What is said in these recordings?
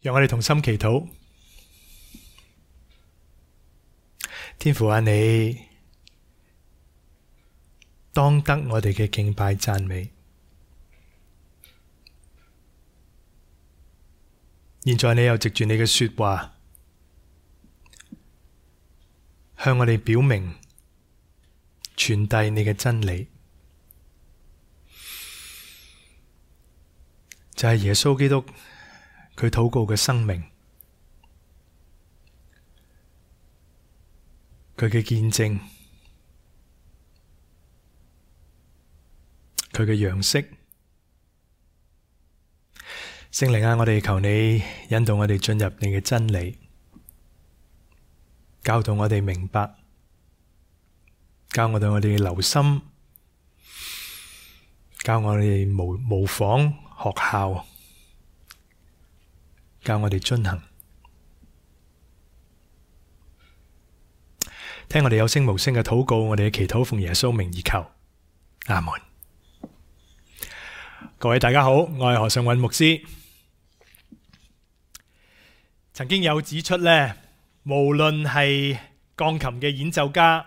讓我哋同心祈禱。天父啊，你當得我哋嘅敬拜讚美。現在你又藉住你嘅說話，向我哋表明、傳遞你嘅真理，就係耶穌基督佢禱告嘅生命，佢嘅見證，佢嘅樣式。聖靈啊，我哋求你引導我哋進入你嘅真理，教導我哋明白，教我哋留心，教我哋模仿學效，教我哋遵行。聽我哋有聲無聲嘅禱告，我哋嘅祈禱奉耶穌名而求，阿門。各位大家好，我係何尚韻牧師。曾經有指出呢，無論係鋼琴嘅演奏家，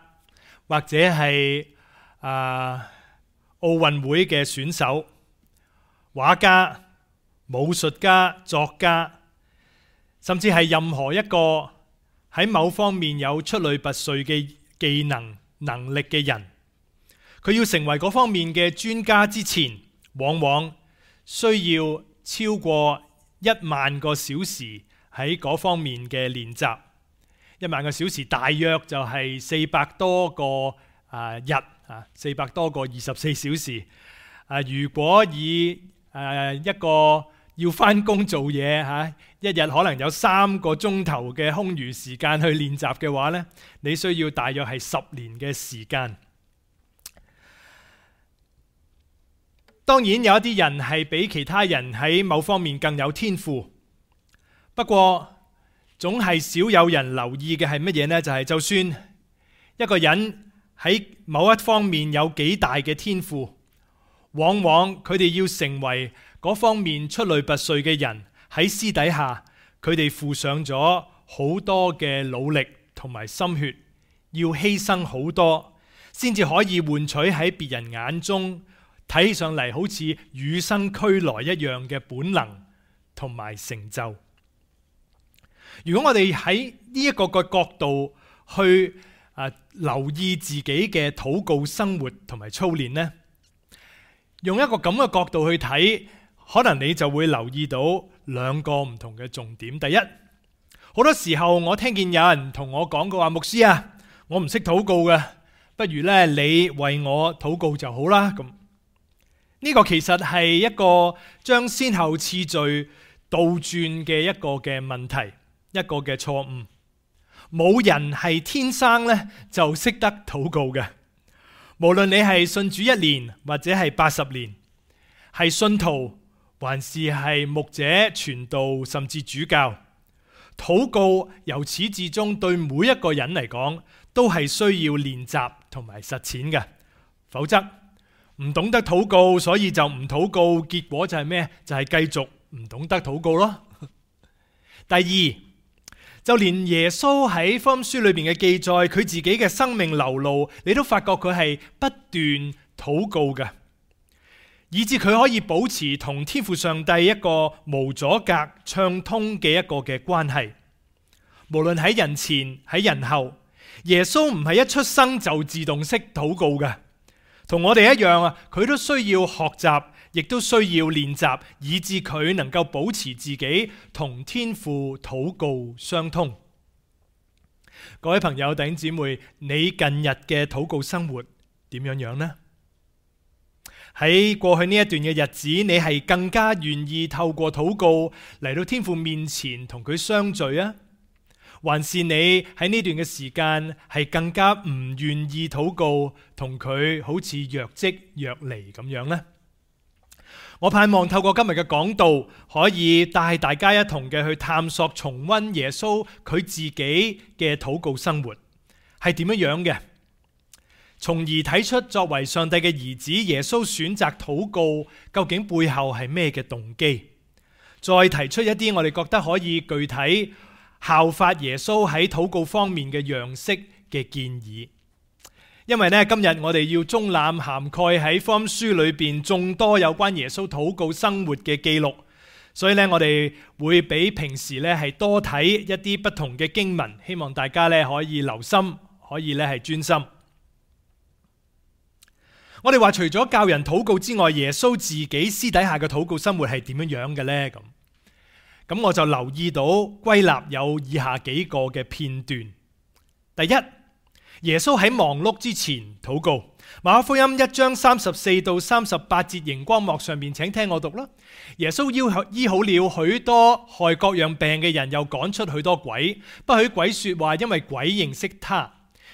或者係奧運會嘅選手、畫家、武術家、作家，甚至係任何一個喺某方面有出類拔萃嘅技能、能力嘅人，佢要成為嗰方面嘅專家之前，往往需要超過1萬個小時喺嗰方面嘅練習。1萬個小時大約就係400多個日，400多個24小時。如果以一個要返工做嘢一日可能有3個鐘頭嘅空餘時間去練習嘅話呢，你需要大約係10年嘅時間。當然有一啲人係比其他人喺某方面更有天賦，不過總係少有人留意嘅係乜嘢呢？就係就算一個人喺某一方面有幾大嘅天賦，往往佢哋要成為嗰方面出類拔萃嘅人，喺私底下佢哋付上咗好多嘅努力同埋心血，要犧牲好多，先至可以換取喺別人眼中睇起上嚟好似與生俱來一樣嘅本能同埋成就。如果我哋喺呢一個角度去留意自己嘅禱告生活同埋操練呢，用一個咁嘅角度去睇，可能你就會留意到2個唔同嘅重點。第一，好多時候我聽見有人同我講過話，牧師啊，我唔識禱告嘅，不如咧你為我禱告就好啦。咁呢個其實係一個將先後次序倒轉嘅一個嘅問題，一個嘅錯誤。冇人係天生咧就識得禱告嘅。無論你係信主1年或者係80年，係信徒還是係牧者、傳道甚至主教，禱告由始至終對每一個人嚟講都係需要練習同埋實踐嘅。否則唔懂得禱告，所以就唔禱告，結果就係咩？就係繼續唔懂得禱告咯。第二，就連耶穌喺福音書裏邊嘅記載，佢自己嘅生命流露，你都發覺佢係不斷禱告嘅，以致佢可以保持同天父上帝一個無阻隔、暢通嘅一個嘅關係。無論喺人前喺人後，耶穌唔係一出生就自動識禱告嘅，同我哋一樣佢都需要學習，亦都需要練習，以致佢能夠保持自己同天父禱告相通。各位朋友弟兄姊妹，你近日嘅禱告生活點樣呢？喺過去呢一段嘅日子，你係更加願意透過禱告嚟到天父面前同佢相聚啊？還是你喺呢段嘅時間係更加唔願意禱告，同佢好似若即若離咁樣呢？我盼望透過今日嘅講道，可以帶大家一同嘅去探索、重溫耶穌佢自己嘅禱告生活係點樣嘅，從而睇出作為上帝嘅兒子，耶穌選擇禱告究竟背後係咩嘅動機，再提出一啲我哋覺得可以具體效法耶穌喺禱告方面嘅樣式嘅建議。因為今日我哋要中覽涵蓋喺福音書裏邊眾多有關耶穌禱告生活嘅記錄，所以我哋會比平時係多睇一啲不同嘅經文，希望大家可以留心，可以係專心。我哋話除咗教人禱告之外，耶穌自己私底下嘅禱告生活係點樣嘅呢？咁我就留意到歸納有以下幾個嘅片段。第一，耶穌喺忙碌之前禱告。馬可福音1章34到38節熒光幕上面，請聽我讀啦。耶穌醫好了許多害各樣病嘅人，又趕出許多鬼，不許鬼說話，因為鬼認識他。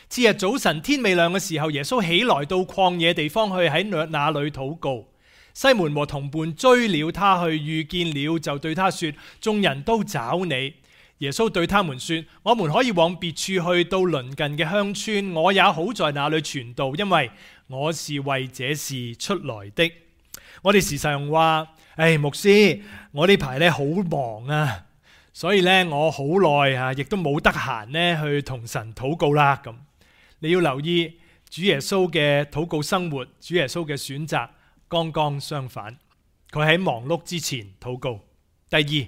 次日早晨天未亮嘅時候，耶穌起來到曠野地方去，喺那裏禱告。西門和同伴追了他去，遇見了就對他說：眾人都找你。耶穌對他們說：我們可以往別處去，到鄰近嘅鄉村，我也好在那裏傳道，因為我是為這事出來的。我哋時常話：牧師，我呢排好忙啊，所以我好耐亦都冇得閒去同神禱告啦。咁你要留意主耶穌嘅禱告生活，主耶穌嘅選擇剛剛相反，佢喺忙碌之前禱告。第二，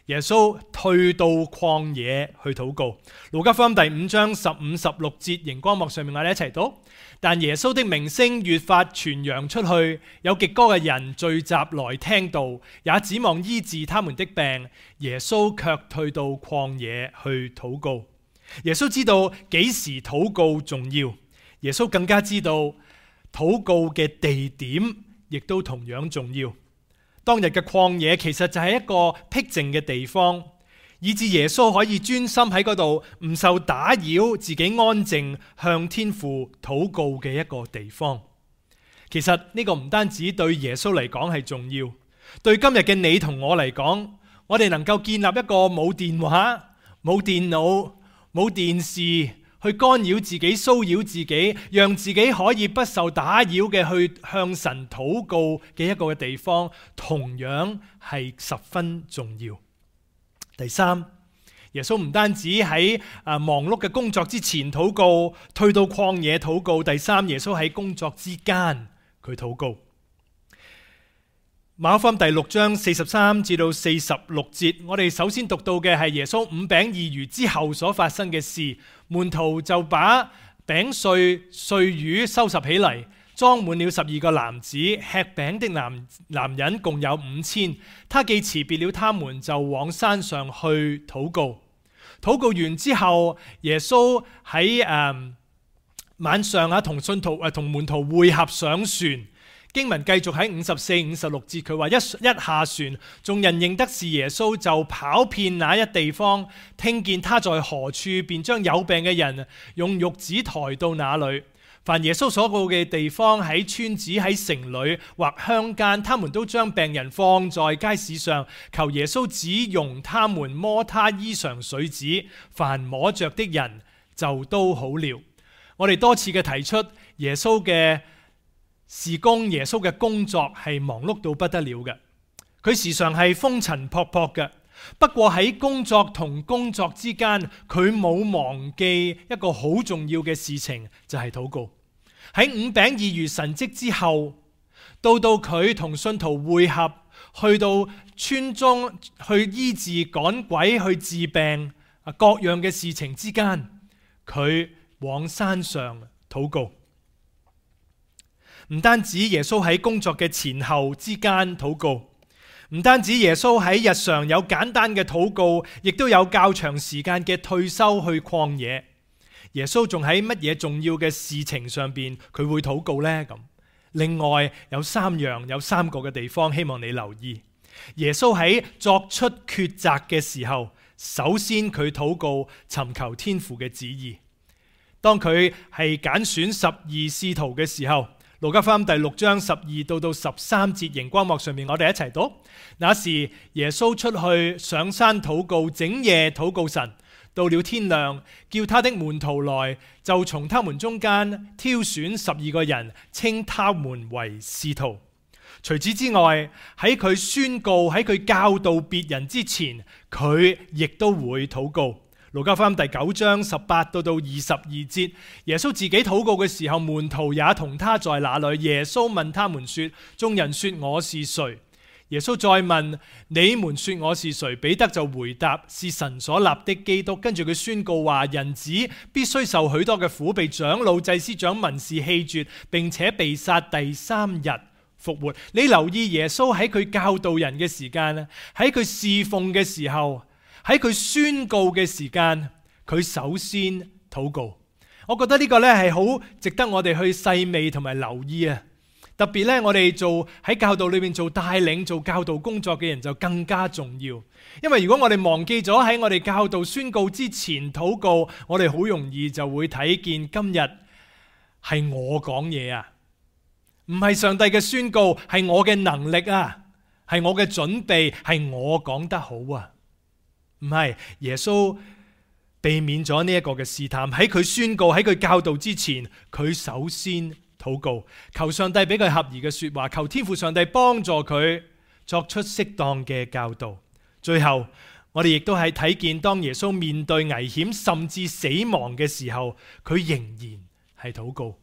耶穌退到曠野去禱告。路加福音第5章15、16節熒光幕上面，我哋一齊讀。但耶穌的名聲越發傳揚出去，有極多嘅人聚集來聽道，也指望醫治他們的病。耶穌卻退到曠野去禱告。耶穌知道幾時禱告重要，耶穌更加知道禱告嘅地點亦都同樣重要。當日嘅曠野其實就係一個僻靜嘅地方，以致耶穌可以專心喺嗰度，唔受打擾，自己安靜向天父禱告嘅一個地方。其實呢個唔單止對耶穌嚟講係重要，對今日嘅你同我嚟講，我哋能夠建立一個冇電話、冇電腦、冇電視去干擾自己、騷擾自己，讓自己可以不受打擾嘅去向神禱告嘅一個嘅地方，同樣係十分重要。第三，耶穌唔單止喺忙碌嘅工作之前禱告，退到曠野禱告。第三，耶穌喺工作之間佢禱告。馬可福音第6章43至到46節，我哋首先讀到嘅係耶穌5餅2魚之後所發生嘅事。門徒就把餅碎魚收拾起嚟，裝滿了12個籃子。吃餅的男人共有5000。他既辭別了他們，就往山上去禱告。禱告完之後，耶穌喺晚上同信徒同門徒會合上船。經文繼續喺54、56節，佢話一下船，眾人認得是耶穌，就跑遍那一地方，聽見他在何處，便將有病嘅人用褥子抬到那裏。凡耶穌所到嘅地方，喺村子、喺城裏或鄉間，他們都將病人放在街市上，求耶穌只容他們摸他衣裳繸子，凡摸着的人就都好了。我哋多次嘅提出耶穌嘅事工，耶穌嘅工作係忙碌到不得了嘅，佢時常係風塵僕僕嘅。不過喺工作同工作之間，佢冇忘記一個好重要嘅事情，就係禱告。喺5餅2魚神蹟之後，到佢同信徒會合，去到村中去醫治趕鬼、去治病各樣嘅事情之間，佢往山上禱告。唔單止耶穌喺工作嘅前後之間禱告，唔單止耶穌喺日常有簡單嘅禱告，亦都有較長時間嘅退休去曠野。耶穌仲喺乜嘢重要嘅事情上邊佢會禱告呢？咁另外有3個嘅地方，希望你留意。耶穌喺作出抉擇嘅時候，首先佢禱告尋求天父嘅旨意。當佢係揀選12使徒嘅時候，路加福音第6章12到13節熒光幕上面，我哋一齊讀。那時耶穌出去上山禱告，整夜禱告神。到了天亮，叫他的門徒來，就從他們中間挑選12個人，稱他們為使徒。除此之外，喺佢宣告、喺佢教導別人之前，佢亦都會禱告。路加福音第9章18到22節，耶穌自己禱告嘅時候，門徒也同他在那裏。耶穌問他們說：眾人說我是誰？耶穌再問：你們說我是誰？彼得就回答：是神所立的基督。跟住佢宣告話：人子必須受許多嘅苦，被長老、祭司長、文士棄絕，並且被殺，第3日復活。你留意耶穌喺佢教導人嘅時間，喺佢侍奉嘅時候，喺佢宣告嘅時間，佢首先禱告。我覺得呢個呢係好值得我哋去細味同埋留意啊！特別咧，我哋喺教導裏面做帶領、做教導工作嘅人就更加重要。因為如果我哋忘記咗喺我哋教導宣告之前禱告，我哋好容易就會睇見今日係我講嘢啊，唔係上帝嘅宣告，係我嘅能力啊，係我嘅準備，係我講得好啊。唔係，耶穌避免咗呢一個嘅試探，喺佢宣告、喺佢教導之前，佢首先禱告，求上帝俾佢合宜嘅說話，求天父上帝幫助佢作出適當嘅教導。最後，我哋亦都係睇見，當耶穌面對危險甚至死亡嘅時候，佢仍然係禱告。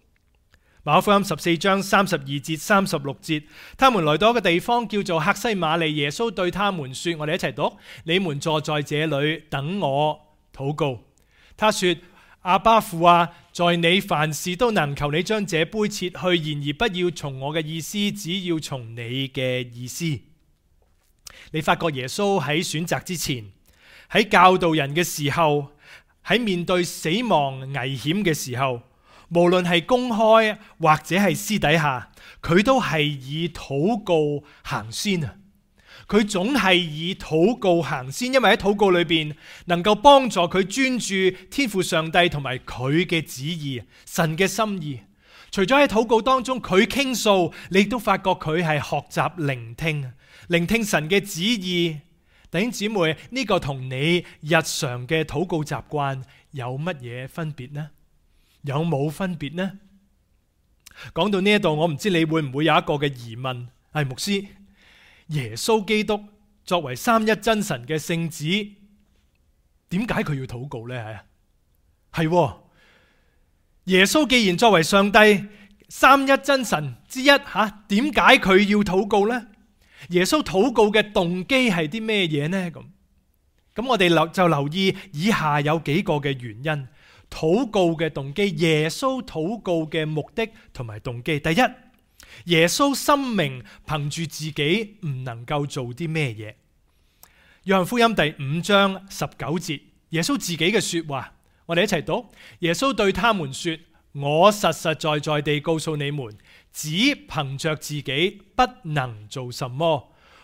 馬可福音14章32節36節，他們來到一個地方叫做客西馬尼，耶穌對他們說：我哋一齊讀，你們坐在這裏等我禱告。他說：阿爸父啊，在你凡事都能，求你將這杯撤去，然而不要從我嘅意思，只要從你嘅意思。你發覺耶穌喺選擇之前，喺教導人嘅時候，喺面對死亡危險嘅時候，無論係公開或者係私底下，佢都係以禱告行先啊！佢總係以禱告行先，因為喺禱告裏邊能夠幫助佢專注天父上帝同埋佢嘅旨意、神嘅心意。除咗喺禱告當中佢傾訴，你亦都發覺佢係學習聆聽神嘅旨意。弟兄姊妹，呢個同你日常嘅禱告習慣有乜嘢分別呢？有冇分別呢？講到呢一度，我唔知你會唔會有一個嘅疑問，係牧師，耶穌基督作為三一真神嘅聖子，點解佢要禱告呢？係耶穌既然作為上帝三一真神之一，點解佢要禱告呢？耶穌禱告嘅動機係啲咩嘢呢？咁我哋就留意以下有幾個嘅原因。禱告嘅動機，耶穌禱告嘅目的同埋動機。第一，耶穌深明憑住自己唔能夠做啲咩嘢。約翰福音第5章19節，耶穌自己嘅說話，我哋一齊讀。耶穌對他們說：我實實在在地告訴你們，只憑着自己不能做什麼，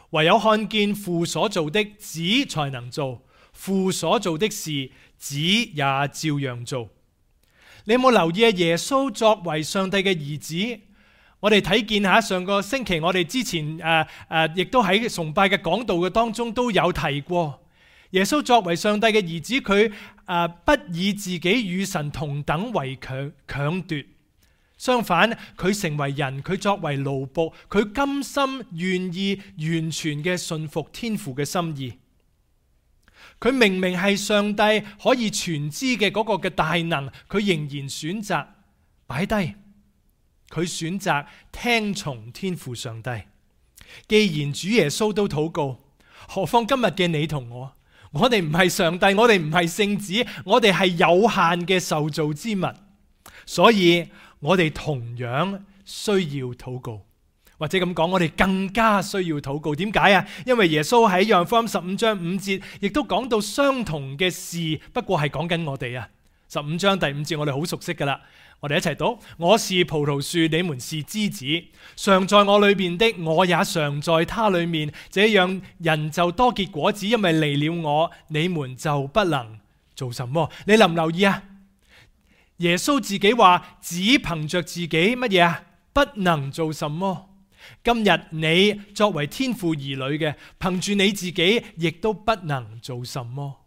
唯有看見父所做的，子才能做。父所做的事，子也照樣做。你有冇留意啊？耶穌作為上帝嘅兒子，我哋睇見下上個星期我哋之前亦都喺崇拜嘅講道嘅當中都有提過。耶穌作為上帝嘅兒子，佢不以自己與神同等為強奪，相反佢成為人，佢作為奴僕，佢甘心願意完全嘅信服天父嘅心意。佢明明係上帝可以全知嘅嗰個嘅大能，佢仍然選擇擺低，佢選擇聽從天父上帝。既然主耶穌都禱告，何況今日嘅你同我？我哋唔係上帝，我哋唔係聖子，我哋係有限嘅受造之物，所以我哋同樣需要禱告。或者咁講，我哋更加需要禱告。點解啊？因為耶穌喺約翰福音15章5節，亦都講到相同嘅事，不過係講緊我哋啊。15章第5節我哋好熟悉噶啦，我哋一齊讀：我是葡萄樹，你們是枝子，常在我裏面的，我也常在他裏面，這樣人就多結果子，因為離了我，你們就不能做什麼。你留唔留意啊？耶穌自己話，只憑着自己乜嘢啊？不能做什麼。今日你作為天父兒女嘅，憑住你自己亦都不能做什麼。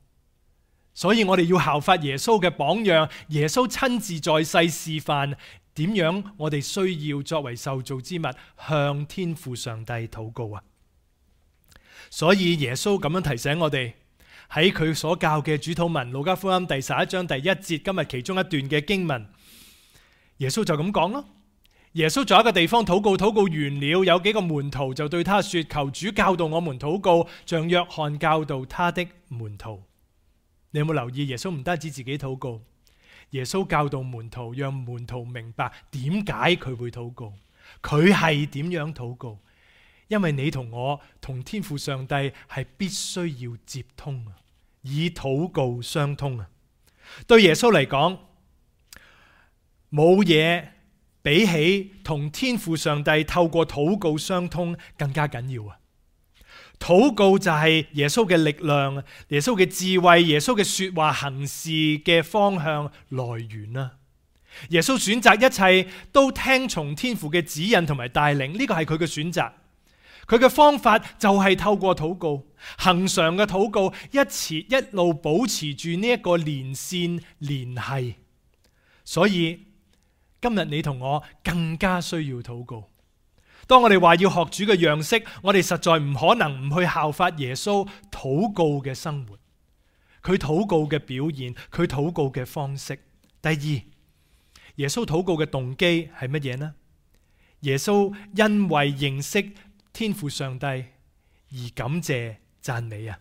所以我哋要效法耶穌嘅榜樣，耶穌親自在世示範點樣我哋需要作為受造之物向天父上帝禱告啊？所以耶穌咁樣提醒我哋，喺佢所教嘅主禱文，路加福音第11章第1節，今日其中一段嘅經文，耶穌就咁講咯。耶穌在一個地方禱告，禱告完了，有幾個門徒就對他說：求主教導我們禱告，像約翰教導他的門徒。你有冇留意？耶穌唔單止自己禱告，耶穌教導門徒，讓門徒明白點解佢會禱告，佢係點樣禱告。因為你同我同天父上帝係必須要接通啊，以禱告相通啊。對耶穌嚟講，冇嘢比起同天父上帝透過禱告相通更加緊要啊！禱告就係耶穌嘅力量，耶穌嘅智慧，耶穌嘅說話行事嘅方向來源啊！耶穌選擇一切都聽從天父嘅指引同埋帶領，呢個係佢嘅選擇。佢嘅方法就係透過禱告，恆常嘅禱告，一路保持住呢一個連線聯繫。所以今日你同我更加需要禱告。當我哋話要學主嘅樣式，我哋實在唔可能唔去效法耶穌禱告嘅生活，佢禱告嘅表現，佢禱告嘅方式。第二，耶穌禱告嘅動機係乜嘢呢？耶穌因為認識天父上帝而感謝讚美啊！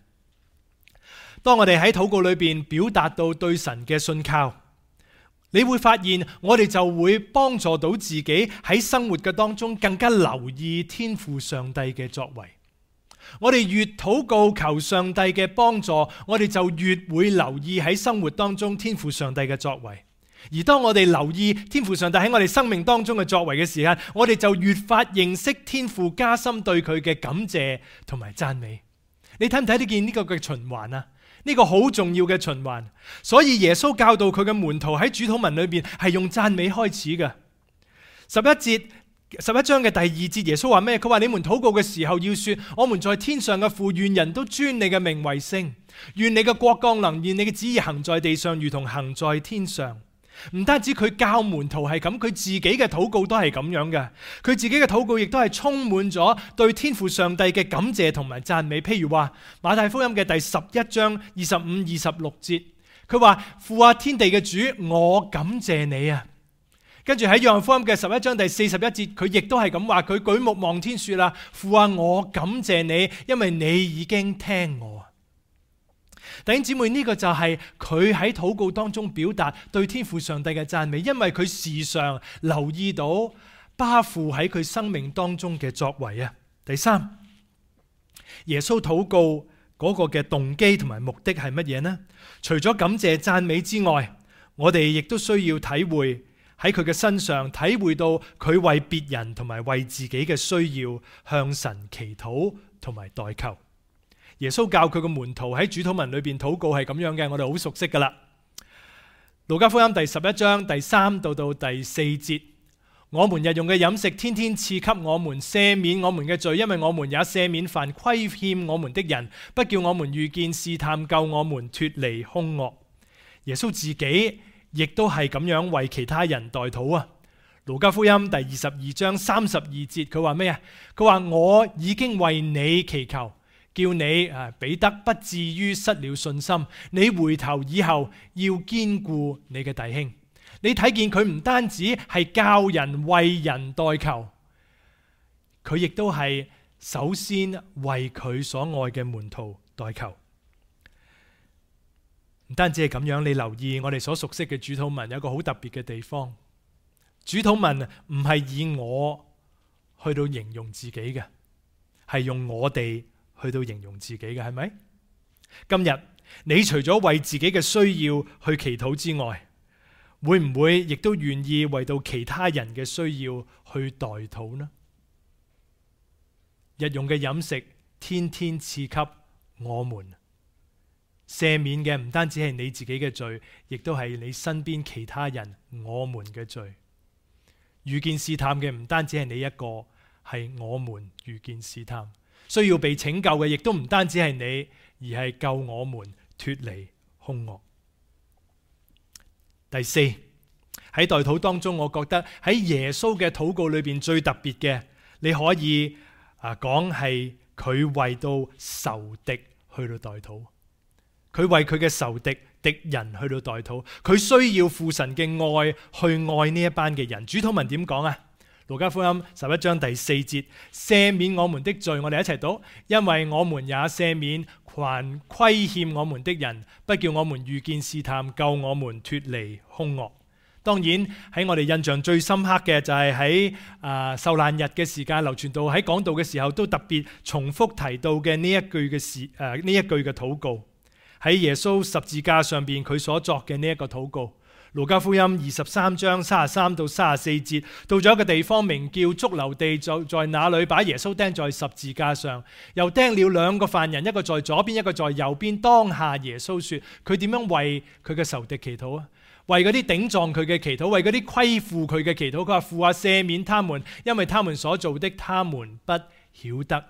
當我哋喺禱告裏邊表達到對神嘅信靠，你會發現我哋就會幫助到自己喺生活嘅當中更加留意天父上帝嘅作為。我哋越禱告求上帝嘅幫助，我哋就越會留意喺生活當中天父上帝嘅作為。而當我哋留意天父上帝喺我哋生命當中嘅作為嘅時間，我哋就越發認識天父，加深對佢嘅感謝同埋讚美。你睇唔睇得見呢個嘅循環啊？呢個好重要嘅循環。所以耶穌教導佢嘅門徒喺主禱文裏邊係用讚美開始嘅。11章嘅第2節，耶穌話咩？佢話你們禱告嘅時候要說：我們在天上嘅父，願人都尊你嘅名為聖，願你嘅國降臨，願你嘅旨意行在地上，如同行在天上。唔單止佢教門徒係咁，佢自己嘅禱告都係咁樣嘅。佢自己嘅禱告亦都係充滿咗對天父上帝嘅感謝同埋讚美。譬如話馬太福音嘅第11章25、26節，佢話：父啊，天地嘅主，我感謝你啊！跟住喺約翰福音嘅11章第41節，佢亦都係咁話，佢舉目望天說啦：父啊，我感謝你，因為你已經聽我。弟兄姊妹，呢個就係佢喺禱告當中表達對天父上帝嘅讚美，因為佢時常留意到巴父喺佢生命當中嘅作為啊。第三，耶穌禱告嗰個嘅動機同埋目的係乜嘢呢？除咗感謝讚美之外，我哋亦都需要體會喺佢嘅身上，體會到佢為別人同埋為自己嘅需要向神祈禱同埋代求。耶穌教佢嘅門徒喺主禱文裏邊禱告係咁樣嘅，我哋好熟悉噶啦。路加福音第11章第3到第4節，我們日用嘅飲食，天天賜給我們，赦免我們嘅罪，因為我們也赦免凡虧欠我們的人，不叫我們遇見試探，救我們脫離兇惡。耶穌自己亦都係咁樣為其他人代禱啊。路加福音第22章32節，佢話咩啊？佢話我已經為你祈求，叫你彼得不至於失了信心，你回頭以後要堅固你嘅弟兄。你睇見佢唔單止係教人為人代求，佢亦都係首先為佢所愛嘅門徒代求。唔單止係咁樣，你留意我哋所熟悉嘅主禱文有一個好特別嘅地方。主禱文唔係以我去到形容自己嘅，係用我哋去到形容自己嘅，係咪？今日你除咗為自己嘅需要去祈禱之外，會唔會亦都願意為到其他人嘅需要去代禱呢？日用嘅飲食，天天賜給我們，赦免嘅唔單止係你自己嘅罪，亦都係你身邊其他人我們嘅罪。遇見試探嘅唔單止係你一個，係我們遇見試探。需要被拯救嘅亦都唔單止係你，而係救我們脫離兇惡。第四，喺代禱當中，我覺得喺耶穌嘅禱告裏邊最特別嘅，你可以講係佢為到仇敵去到代禱，佢為佢嘅仇敵敵人去到代禱，佢需要父神嘅愛去愛呢一班嘅人。主禱文點講啊？路加福音11章第4節，赦免我們的罪，我哋一齊讀，因為我們也赦免凡虧欠我們的人，不叫我們遇見試探，救我們脫離兇惡。當然喺我哋印象最深刻嘅就係喺受難日嘅時間，劉傳道喺講道嘅時候都特別重複提到嘅呢一句嘅禱告，喺耶穌十字架上邊佢所作嘅呢一個禱告。路加福音23章33到34節，到咗一個地方名叫髑髏地，就在那裏把耶穌釘在十字架上，又釘了2個犯人，一個在左邊，一個在右邊。當下耶穌說，佢點樣為佢嘅仇敵祈禱啊？為嗰啲頂撞佢嘅祈禱，為嗰啲虧負佢嘅祈禱。佢話，父啊，赦免他們，因為他們所做的，他們不曉得。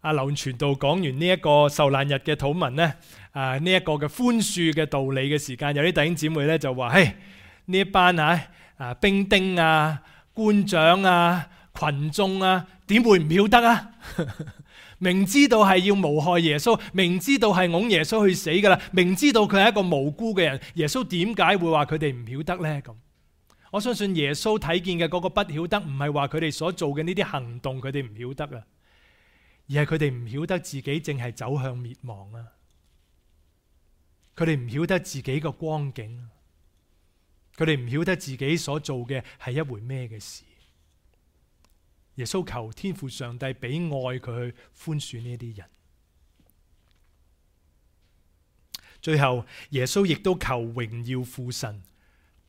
劉傳道講完呢一個受難日嘅禱文呢，呢一個嘅寬恕嘅道理嘅時間，有啲弟兄姊妹咧就話：嘿，呢一班兵丁啊、官長啊、群眾啊，點會唔曉得啊？明知道係要誣害耶穌，明知道係㧬耶穌去死噶啦，明知道佢係一個無辜嘅人，耶穌點解會話佢哋唔曉得呢？咁我相信耶穌睇見嘅嗰個不曉得，唔係話佢哋所做嘅呢啲行動佢哋唔曉得啊，而係佢哋唔曉得自己正係走向滅亡啊！佢哋唔曉得自己個光景，佢哋唔曉得自己所做嘅係一回咩嘅事。耶穌求天父上帝俾愛佢去寬恕呢啲人。最後耶穌亦都求榮耀父神，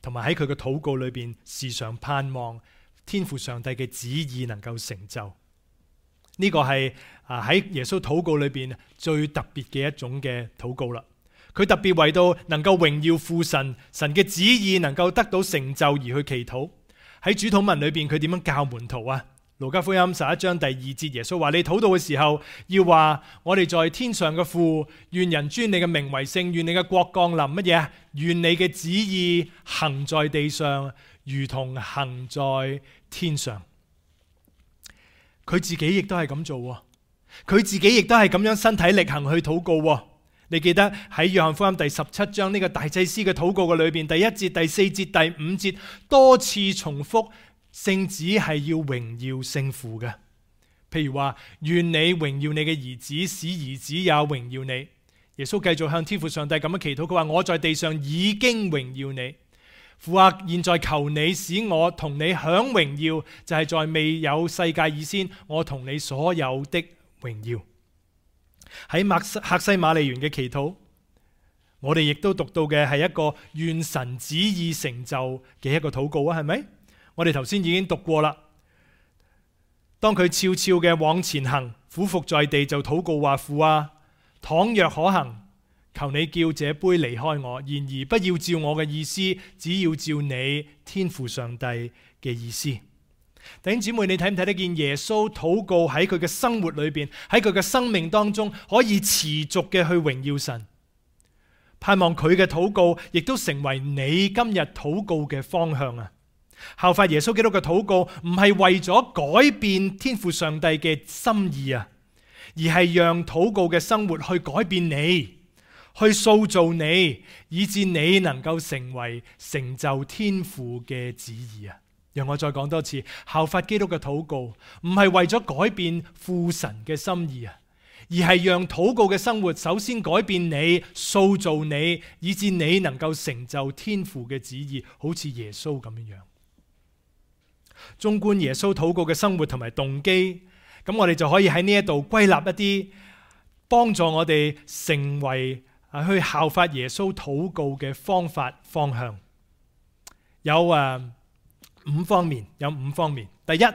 同埋喺佢嘅禱告裏邊時常盼望天父上帝嘅旨意能夠成就。呢個係喺耶穌禱告裏邊最特別嘅一種嘅禱告啦。佢特別為到能夠榮耀父神，神嘅旨意能夠得到成就而去祈禱。喺主禱文裏邊佢點樣教門徒啊？路加福音11章第2節，耶穌話：你禱告嘅時候要話，我哋在天上嘅父，願人尊你嘅名為聖，願你嘅國降臨。乜嘢啊？願你嘅旨意行在地上，如同行在天上。佢自己亦都係咁做，佢自己亦都係咁樣身體力行去禱告。你記得喺約翰福音第17章呢個大祭司嘅禱告嘅裏邊，第1節、第4節、第5節多次重複聖子係要榮耀聖父嘅。譬如話，願你榮耀你嘅兒子，使兒子也榮耀你。耶穌繼續向天父上帝咁樣祈禱，佢話：我在地上已經榮耀你，父啊，現在求你使我同你享榮耀，就係在未有世界以先，我同你所有的榮耀。喺客西馬尼園嘅祈禱，我哋亦都讀到嘅係一個願神旨意成就嘅一個禱告啊，係咪？我哋頭先已經讀過啦。當佢悄悄嘅往前行，俯伏在地就禱告話：父啊，倘若可行，求你叫這杯離開我，然而不要照我嘅意思，只要照你天父上帝嘅意思。弟兄姊妹，你睇唔睇得見耶穌禱告喺佢嘅生活裏邊，喺佢嘅生命當中可以持續嘅去榮耀神？盼望佢嘅禱告亦都成為你今日禱告嘅方向啊！效法耶穌基督嘅禱告，唔係為咗改變天父上帝嘅心意啊，而係讓禱告嘅生活去改變你，去塑造你，以致你能夠成為成就天父嘅旨意啊！讓我再講多次，效法基督嘅禱告，唔係為咗改變父神嘅心意啊，而係讓禱告嘅生活首先改變你，塑造你，以致你能夠成就天父嘅旨意，好似耶穌咁樣。縱觀耶穌禱告嘅生活同埋動機，咁我哋就可以喺呢一度歸納一啲幫助我哋成為去效法耶穌禱告嘅方法方向。有五方面。第一，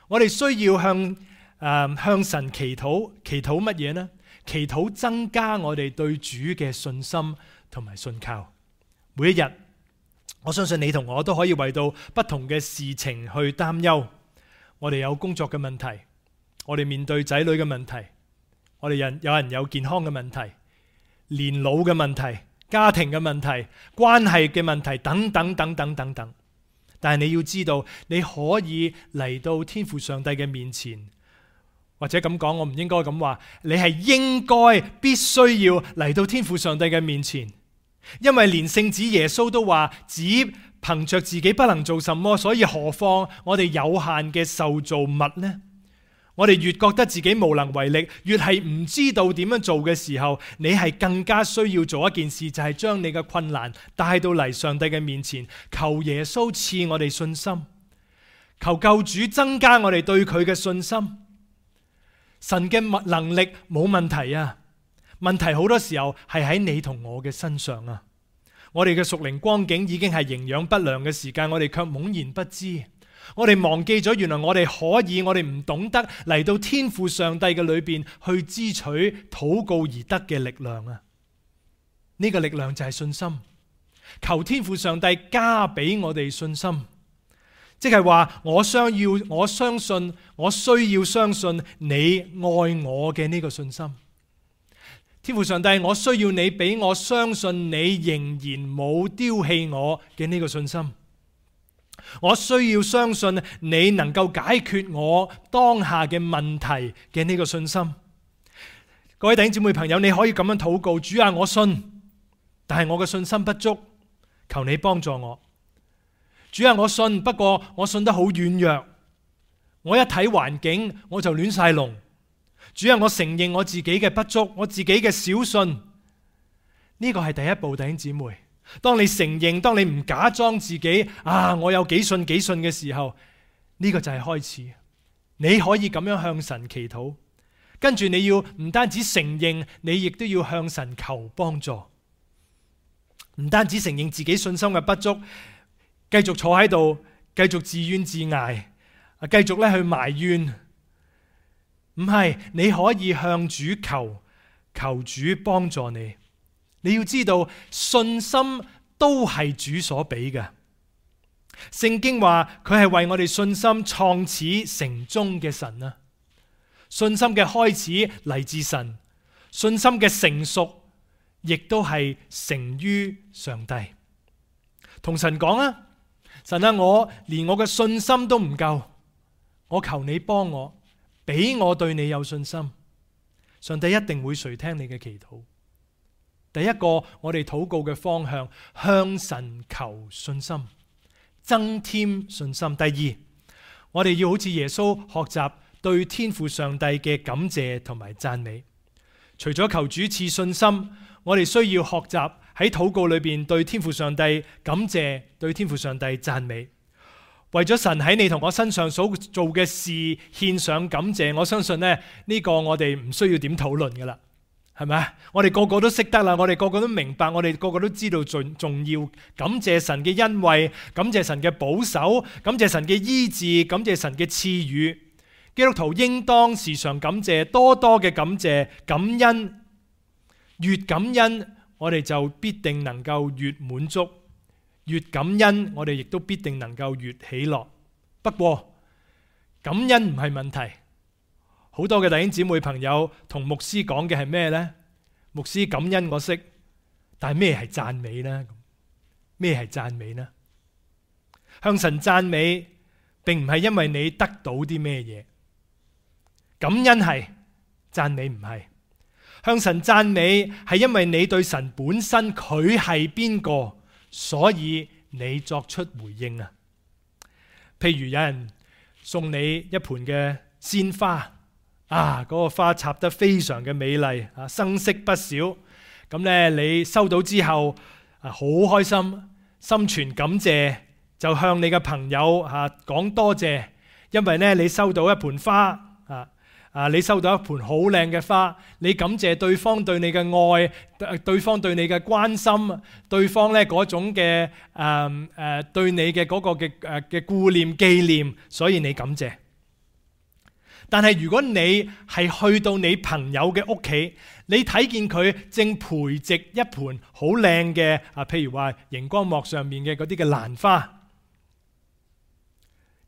我哋需要向神祈禱。祈禱乜嘢呢？祈禱增加我哋對主嘅信心同埋信靠。每一日，我相信你同我都可以為到不同嘅事情去擔憂。我哋有工作嘅問題，我哋面對仔女嘅問題，我哋有人有健康嘅問題，年老嘅問題，家庭嘅問題、關係嘅問題等等等等等等。但係你要知道，你可以嚟到天父上帝嘅面前，或者咁講，我唔應該咁話，你係應該必須要嚟到天父上帝嘅面前，因為連聖子耶穌都話，只憑着自己不能做什麼，所以何況我哋有限嘅受造物呢？我哋越覺得自己無能為力，越係唔知道點樣做嘅時候，你係更加需要做一件事，就係將你嘅困難帶到嚟上帝嘅面前，求耶穌賜我哋信心，求救主增加我哋對佢嘅信心。神嘅能力冇問題啊，問題好多時候係喺你同我嘅身上啊。我哋嘅屬靈光景已經係營養不良嘅時間，我哋卻懵然不知。我哋忘記咗，原來我哋可以，我哋唔懂得嚟到天父上帝嘅裏邊去支取禱告而得嘅力量啊！呢個力量就係信心，求天父上帝加俾我哋信心，即係話我需要相信你愛我嘅呢個信心。天父上帝，我需要你俾我相信你仍然冇丟棄我嘅呢個信心。我需要相信你能夠解決我當下嘅問題嘅呢個信心。各位弟兄姊妹朋友，你可以咁樣禱告：主啊，我信，但係我嘅信心不足，求你幫助我。主啊，我信，不過我信得好軟弱，我一睇環境我就亂晒龍。主啊，我承認我自己嘅不足，我自己嘅小信。呢個係第一步，弟兄姊妹。當你承認，當你唔假裝自己我有幾信嘅時候，呢個就係開始。你可以咁樣向神祈禱，跟住你要唔單止承認，你亦都要向神求幫助。唔單止承認自己信心嘅不足，繼續坐喺度，繼續自怨自艾，繼續咧去埋怨。唔係，你可以向主求主幫助你。你要知道，信心都係主所俾嘅。聖經話佢係為我哋信心創始成終嘅神啊！信心嘅開始嚟自神，信心嘅成熟亦都係成於上帝。同神講啊，神啊，我連我嘅信心都唔夠，我求你幫我，俾我對你有信心。上帝一定會垂聽你嘅祈禱。第一個，我哋禱告嘅方向，向神求信心，增添信心。第二，我哋要好似耶穌學習對天父上帝嘅感謝同埋讚美。除咗求主賜信心，我哋需要學習喺禱告裏邊對天父上帝感謝，對天父上帝讚美。為咗神喺你同我身上所做嘅事獻上感謝，我相信呢個我哋唔需要點討論噶啦。係咪？我哋個個都識得啦，我哋個個都明白，我哋個個都知道重要。感謝神嘅恩惠，感謝神嘅保守，感謝神嘅醫治，感謝神嘅賜予。基督徒應當時常感謝，多多嘅感謝、感恩。越感恩，我哋就必定能夠越滿足；越感恩，我哋亦都必定能夠越喜樂。不過，感恩唔係問題。好多嘅弟兄姊妹朋友同牧師講嘅係咩呢？牧師，感恩我識，但係咩係讚美呢？咩係讚美呢？向神讚美並唔係因為你得到啲咩嘢，感恩係，讚美唔係。向神讚美係因為你對神本身佢係邊個，所以你作出回應啊。譬如有人送你一盆嘅鮮花。嗰個花插得非常嘅美麗，生色不少。咁你收到之後好開心，心存感謝，就向你嘅朋友講多謝，因為你收到一盆花，你收到一盆好靚嘅花，你感謝對方對你嘅愛，對方對你嘅關心，對方嗰種嘅對你嘅嗰個嘅顧念紀念，所以你感謝。但係如果你係去到你朋友嘅屋企，你睇見佢正培植一盆好靚嘅譬如話熒光幕上面嘅嗰啲嘅蘭花，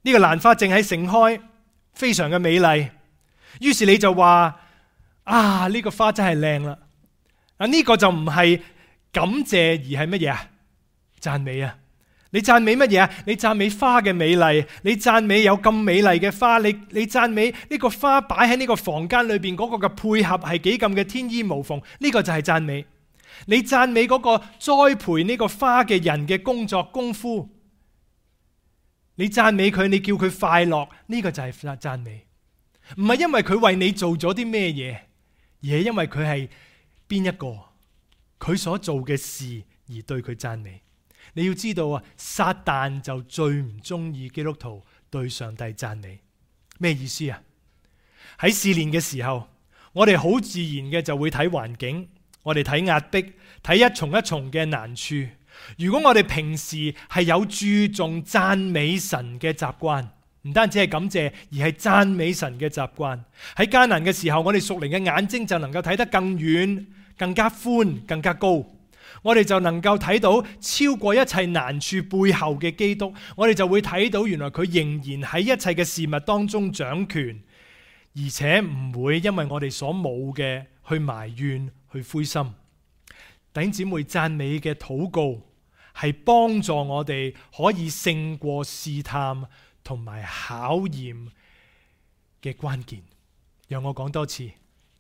呢個蘭花正喺盛開，非常嘅美麗。於是你就話呢個花真係靚啦。呢個就唔係感謝而係乜嘢啊？讚美啊！你讚美乜嘢啊？你讚美花嘅美麗，你讚美有咁美麗嘅花，你讚美呢個花擺喺呢個房間裏邊嗰個嘅配合係幾咁嘅天衣無縫，呢個就係讚美。你讚美嗰個栽培呢個花嘅人嘅工作功夫，你讚美佢，你叫佢快樂，呢個就係讚美。唔係因為佢為你做咗啲咩嘢，而係因為佢係邊一個，佢所做嘅事而對佢讚美。你要知道啊，撒旦就最唔中意基督徒對上帝讚美。咩意思啊？喺試煉嘅時候，我哋好自然嘅就會睇環境，我哋睇壓迫，睇一重一重嘅難處。如果我哋平時係有注重讚美神嘅習慣，唔單止係感謝，而係讚美神嘅習慣，喺艱難嘅時候，我哋屬靈嘅眼睛就能夠睇得更遠、更加寬、更加高。我哋就能夠睇到超過一切難處背後嘅基督，我哋就會睇到原來佢仍然喺一切嘅事物當中掌權，而且唔會因為我哋所冇嘅去埋怨、去灰心。弟兄姊妹，讚美嘅禱告係幫助我哋可以勝過試探同埋考驗嘅關鍵。讓我講多次，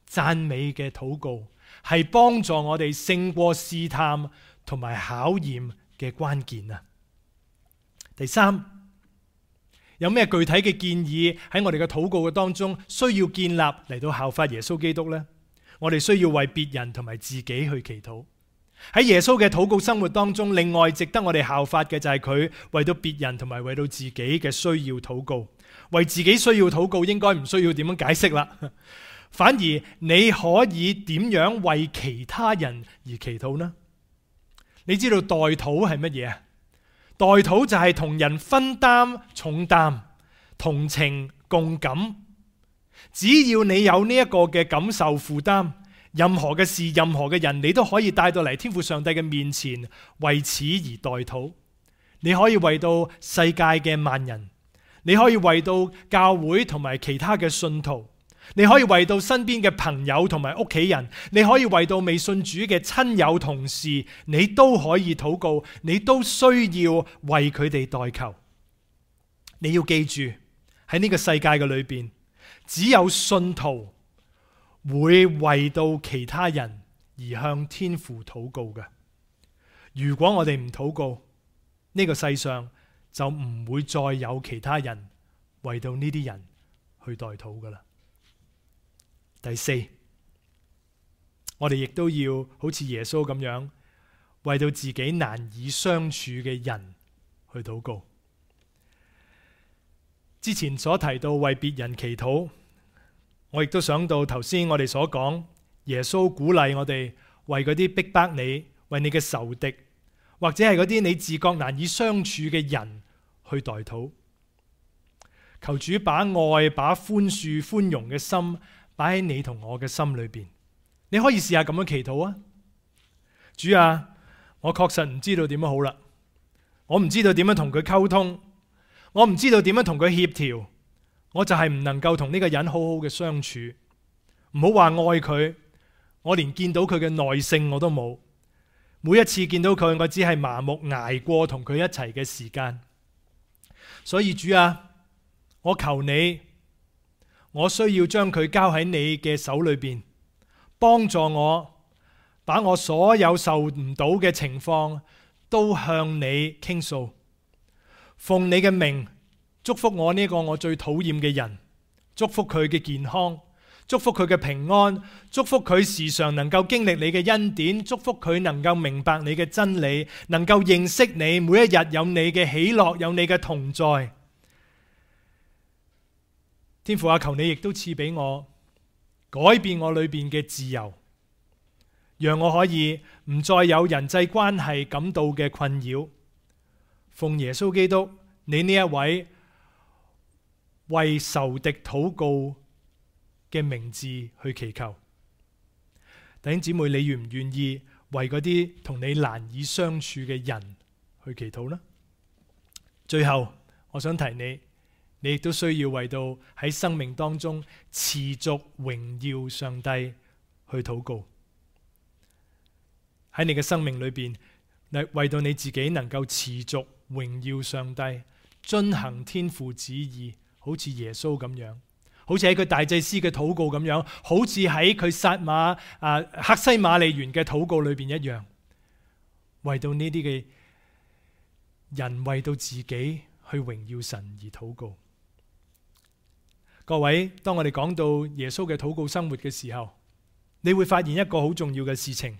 讚美嘅禱告係幫助我哋勝過試探同埋考驗嘅關鍵啊！第三，有咩具體嘅建議喺我哋嘅禱告嘅當中需要建立嚟到效法耶穌基督呢？我哋需要為別人同埋自己去祈禱。喺耶穌嘅禱告生活當中，另外值得我哋效法嘅就係佢為到別人同埋為到自己嘅需要禱告。為自己需要禱告應該唔需要點樣解釋啦。反而你可以點樣為其他人而祈禱呢？你知道代禱係乜嘢啊？代禱就係同人分擔重擔，同情共感。只要你有呢一個嘅感受負擔，任何嘅事、任何嘅人，你都可以帶到嚟天父上帝嘅面前，為此而代禱。你可以為到世界嘅萬人，你可以為到教會同埋其他嘅信徒，你可以為到身邊嘅朋友同埋屋企人，你可以為到未信主嘅親友同事，你都可以禱告，你都需要為佢哋代求。你要記住，喺呢個世界嘅裏邊，只有信徒會為到其他人而向天父禱告嘅。如果我哋唔禱告，呢個世上就唔會再有其他人為到呢啲人去代禱噶啦。第四，我哋亦都要好似耶穌咁樣，為到自己難以相處嘅人去禱告。之前所提到為別人祈禱，我亦都想到頭先我哋所講，耶穌鼓勵我哋為嗰啲逼迫你、為你嘅仇敵，或者係嗰啲你自覺難以相處嘅人去代禱。求主把愛、把寬恕、寬容嘅心擺喺你同我嘅心裏邊。你可以試下咁樣祈禱啊！主啊，我確實唔知道點樣好啦，我唔知道點樣同佢溝通，我唔知道點樣同佢協調，我就係唔能夠同呢個人好好嘅相處。唔好話愛佢，我連見到佢嘅耐性我都冇。每一次見到佢，我只係麻木捱過同佢一齊嘅時間。所以主啊，我求你，我需要將佢交喺你嘅手裏邊，幫助我把我所有受唔到嘅情況都向你傾訴。奉你嘅名祝福我呢個我最討厭嘅人，祝福佢嘅健康，祝福佢嘅平安，祝福佢時常能夠經歷你嘅恩典，祝福佢能夠明白你嘅真理，能夠認識你，每一日有你嘅喜樂，有你嘅同在。天父啊，求你亦都賜俾我改變我裏邊嘅自由，讓我可以唔再有人際關係感到嘅困擾。奉耶穌基督你呢一位為仇敵禱告嘅名字去祈求。弟兄姊妹，你願唔願意為嗰啲同你難以相處嘅人去祈禱呢？最後我想提你，你亦都需要為到喺生命當中持續榮耀上帝去禱告。喺你嘅生命裏邊，為到你自己能夠持續榮耀上帝，遵行天父旨意，好似耶穌咁樣，好似喺佢大祭司嘅禱告咁樣，好似喺佢撒馬客西馬尼園嘅禱告裏邊一樣，為到呢啲嘅人，為到自己去榮耀神而禱告。各位，當我哋講到耶穌嘅禱告生活嘅時候，你會發現一個好重要嘅事情，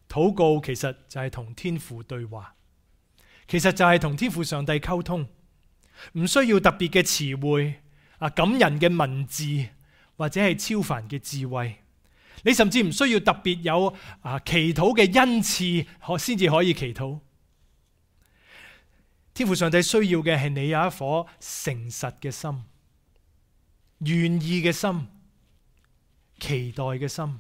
禱告其實就係同天父對話，其實就係同天父上帝溝通，唔需要特別嘅詞彙感人嘅文字，或者係超凡嘅智慧，你甚至唔需要特別有祈禱嘅恩賜先至可以祈禱。天父上帝需要嘅係你有一顆誠實嘅心，願意嘅心，期待嘅心。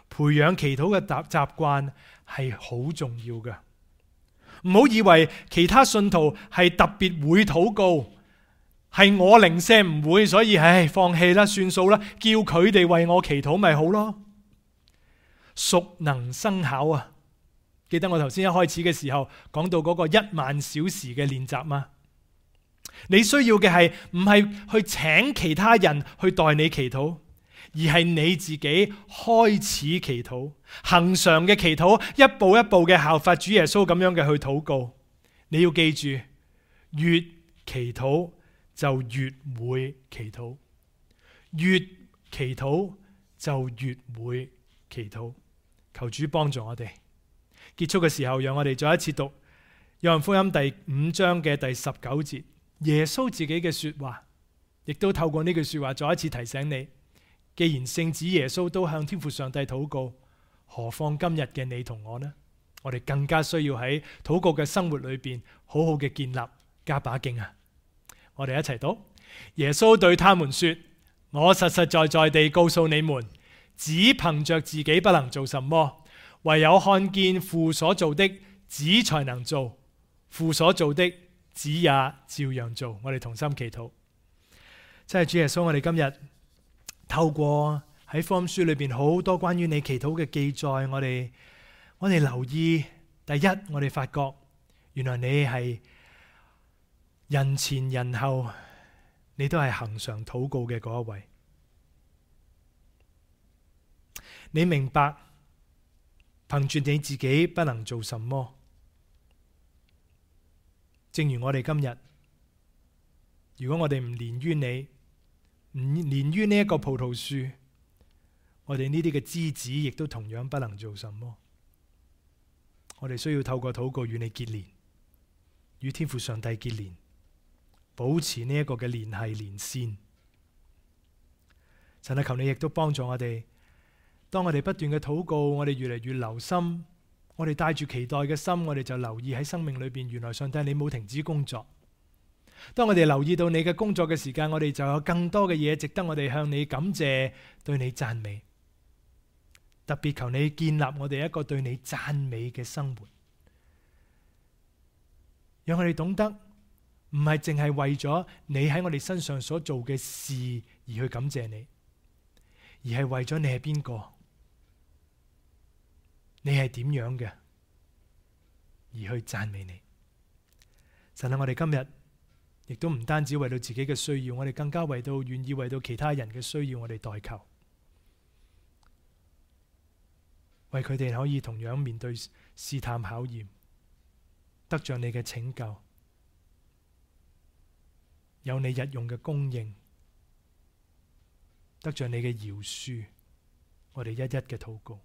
培養祈禱嘅習慣係好重要嘅。唔好以為其他信徒係特別會禱告，係我零舍唔會，所以放棄啦，算數啦，叫佢哋為我祈禱咪好咯。熟能生巧啊！記得我頭先一開始嘅時候講到嗰個10000小時嘅練習嗎？你需要嘅係唔係去請其他人去代你祈禱，而係你自己開始祈禱，恆常嘅祈禱，一步一步嘅效法主耶穌咁樣嘅去禱告。你要記住，越祈禱就越會祈禱，越祈禱就越會祈禱。求主幫助我哋。結束嘅時候，讓我哋再一次讀約翰福音第5章嘅第19節，耶穌自己嘅說話，亦都透過呢句說話再一次提醒你，既然聖子耶穌都向天父上帝禱告，何況今日嘅你同我呢？我哋更加需要喺禱告嘅生活裏邊好好嘅建立，加把勁啊！我哋一齊讀。耶穌對他們說：我實實在在地告訴你們，只憑着自己不能做什麼，唯有看見父所做的，子才能做。父所做的，子也照樣做。我哋同心祈禱。真係主耶穌，我哋今日透過喺福音書裏邊好多關於你祈禱嘅記載，我哋留意，第一，我哋發覺原來你係人前人後，你都係恆常禱告嘅嗰一位。你明白憑住你自己不能做什麼，正如我哋今日，如果我哋唔連於你，唔連於呢一個葡萄樹，我哋呢啲嘅枝子亦都同樣不能做什麼。我哋需要透過禱告與你結連，與天父上帝結連，保持呢一個嘅聯繫連線。神啊，求你亦都幫助我哋，當我哋不斷嘅禱告，我哋越嚟越留心，我哋帶住期待嘅心，我哋就留意喺生命裏邊，原來上帝你冇停止工作。當我哋留意到你嘅工作嘅時間，我哋就有更多嘅嘢值得我哋向你感謝，對你讚美。特別求你建立我哋一個對你讚美嘅生活，讓我哋懂得唔係淨係為咗你喺我哋身上所做嘅事而去感謝你，而係為咗你係邊個，你係點樣嘅，而去讚美你。神啊，我哋今日亦都唔單止為到自己嘅需要，我哋更加願意為到其他人嘅需要，我哋代求，為佢哋可以同樣面對試探考驗，得着你嘅拯救，有你日用嘅供應，得着你嘅饒恕，我哋一一嘅禱告，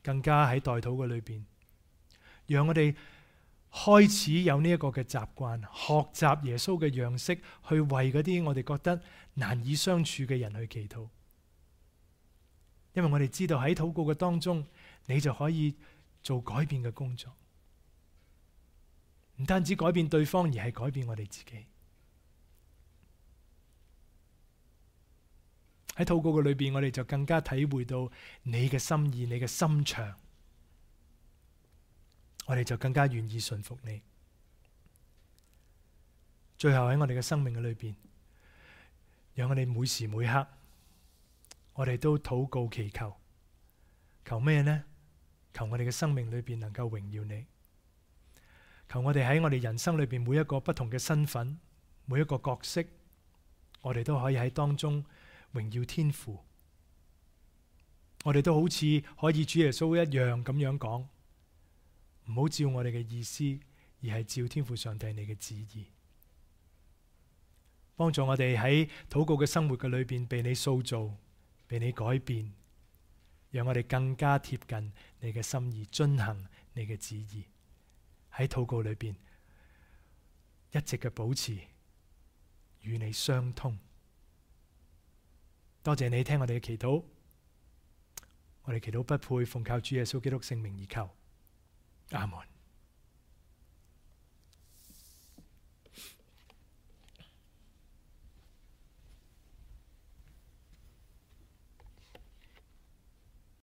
更加喺代禱嘅裏邊，讓我哋開始有呢一個嘅習慣，學習耶穌嘅樣式，去為嗰啲我哋覺得難以相處嘅人去祈禱。因為我哋知道喺禱告嘅當中，你就可以做改變嘅工作，唔單止改變對方，而係改變我哋自己。喺禱告嘅裏邊，我哋就更加體會到你嘅心意，你嘅心腸，我哋就更加願意順服你。最後喺我哋嘅生命嘅裏邊，讓我哋每時每刻，我哋都禱告祈求，求咩呢？求我哋嘅生命裏邊能夠榮耀你。求我哋喺我哋人生裏邊每一個不同嘅身份，每一個角色，我哋都可以喺當中榮耀天父。我哋都好似可以主耶穌一樣咁樣講，唔好照我哋嘅意思，而係照天父上帝你嘅旨意。幫助我哋喺禱告嘅生活嘅裏邊被你塑造，被你改變，讓我哋更加貼近你嘅心意，遵行你嘅旨意。喺禱告裏邊一直嘅保持與你相通。多謝你聽我哋嘅祈禱，我哋祈禱不配，奉靠主耶穌基督聖名而求，阿門。